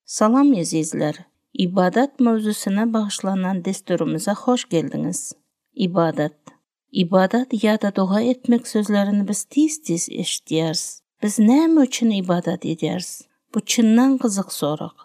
Salam ezizler! Ybadat mowzusyna bagyşlanan desturymyza hoş geldiňiz! Ybadat. Ybadat ýa-da doga etmek sözlerini biz tiz-tiz eşidýäris. Biz näme üçin ybadat edýäris? Bu çyndan gyzyk sorag.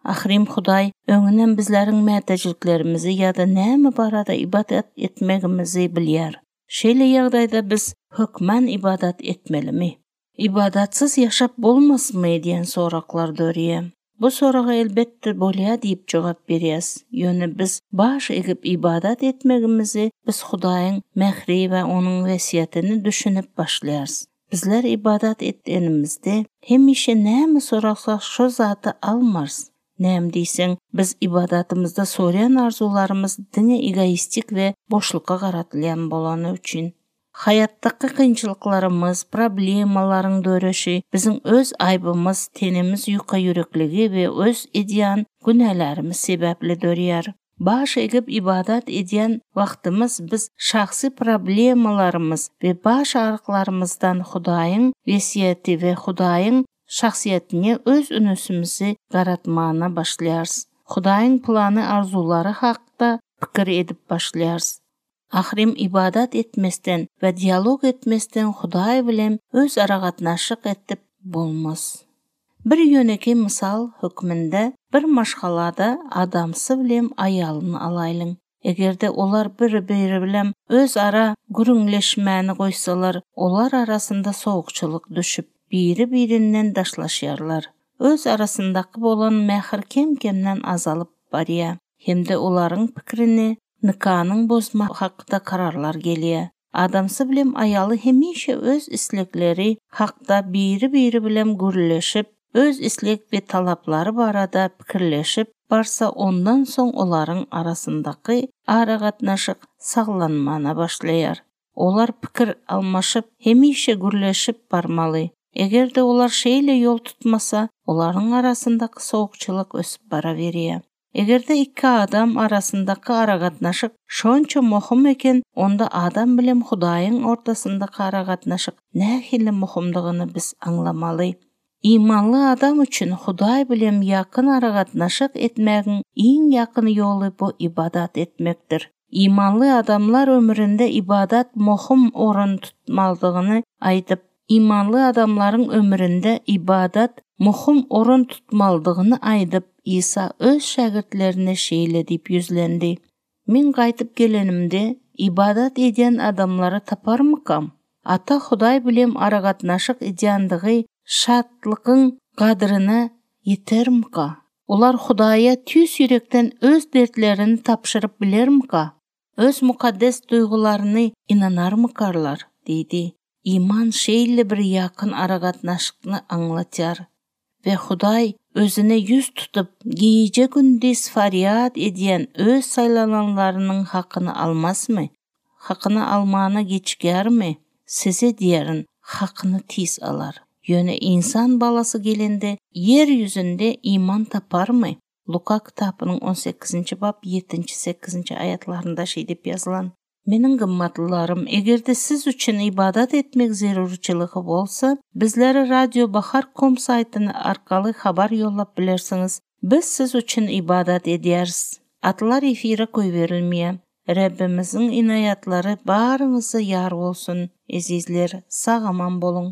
Ahyrym Hudaý öňünem bizleriň mätäjliklerimizi ýa-da näme barada ybadat etmegimizi bilýär. Şeýle ýagdaýda biz hökman ybadat etmelimi? Ybadatsyz ýaşap bolmasmy diýen soraglar dörýär. Bu soraga elbetde bolýar diýip jogap berýäs. Ýöne biz baş egip ybadat etmegimizi biz Hudaýyň mähri we Onuň wesýetini düşünip başlaýarys. Bizler ybadat edenimizde hemişe näme sorasak şo zady almarys. Näme diýseň, biz ybadatymyzda sorýan arzuwlarymyz diňe egoistik we boşlukga garatylýan bolany üçin. Haýatdaky kynçylyklarymyz, problemalaryň döreşi biziň öz aýbymyz, tenimiz ýuka ýürekligi we öz edýän günälerimiz sebäpli dörýär. Baş egip ybadat edýän wagtymyz biz şahsy problemalarymyz we baş aryklarymyzdan Hudaýyň wesýeti we Hudaýyň şahsyýetine öz ünsümizi garatmana başlaýarys. Hudaýyň plany arzuwlary hakda pikir edip başlaýarys. Ahyrym ybadat etmesden we dialog etmesden Hudaý bilen öz aragatnaşyk etip bolmaz. Bir ýönekeý mysal hökmünde bir maşgalada adamsy bilen aýalyny alaýlyň. Eger-de olar bir-biri bilen öz ara gürrüňleşmäni goýsalar, olar arasynda sowukçylyk düşüp, biri-birinden daşlaşýarlar. Öz arasyndaky bolan mähir kem-kemden azalyp barýar hem-de olaryň pikirini nikanyň bozma hakda kararlar gelýär. Adamsy bilen aýaly hemişe öz islegleri hakda biri-biri bilen gürleşip, öz isleg we talaplary barada pikirleşip barsa ondan soň olaryň arasyndaky aragatnaşyk saglanmana başlaýar. Olar pikir almaşyp, hemişe gürleşip barmaly. Eger-de olar şeýle ýol tutmasa, olaryň arasyndaky sowukçylyk ösüp baraberýär. Eger-de ikki adam arasyndaky aragatnaşyk şonça mohum eken, onda adam bilen Hudaýyň ortasyndaky aragatnaşyk nähili mohumdygyny biz aňlamaly. Imanly adam üçin Hudaý bilen ýakyn aragatnaşyk etmägiň iň ýakyn ýoly bu ybadat etmekdir. Imanly adamlar ömründe ybadat mohum orun tutmalydygyny aýdyp, imanly adamlaryň ömründe ybadat mohum orun tutmalydygyny aýdyp, Isa öz şägirtlerine şeýle diýip ýüzlendi, Men gaýdyp gelenimde, ybadat edýän adamlary taparmykam? Ata Hudaý bilen aragatnaşyk edýänligi şatlygyň gadryna ýetermika? Olar Hudaýa tüýs ýürekden öz dertlerini tabşyryp bilermika? Öz mukaddes duýgularyny ynanarmykarlar? diýdi. Iman şeýle bir ýakyn aragatnaşykny aňlatýar. We Hudaý Özüne ýüz tutup, gije-gündiz farýat edýän Öz saýlananlarynyň hakyny almazmy? Hakyny almana giçigermi? Size diýerin, hakyny tiz alar. Ýöne Ynsan Balasy gelende, ýer ýüzünde iman taparmy? Luka kitapynyň on sekizinji bap ýedinji, sekizinji aýatlarynda şeý diýip ýazylan. Meniň gymmatlylarym, eger-de siz üçin ybadat etmek zerurçylygy bolsa, bizlere Radio Bahar kom saýtyny arkaly habar ýollap bilersiňiz. Biz siz üçin ybadat edýäris. Atlar efire goýberilmeýär. Rebbimiziň inaýatlary baryňyza ýar bolsun, ezizler, sag-aman boluň!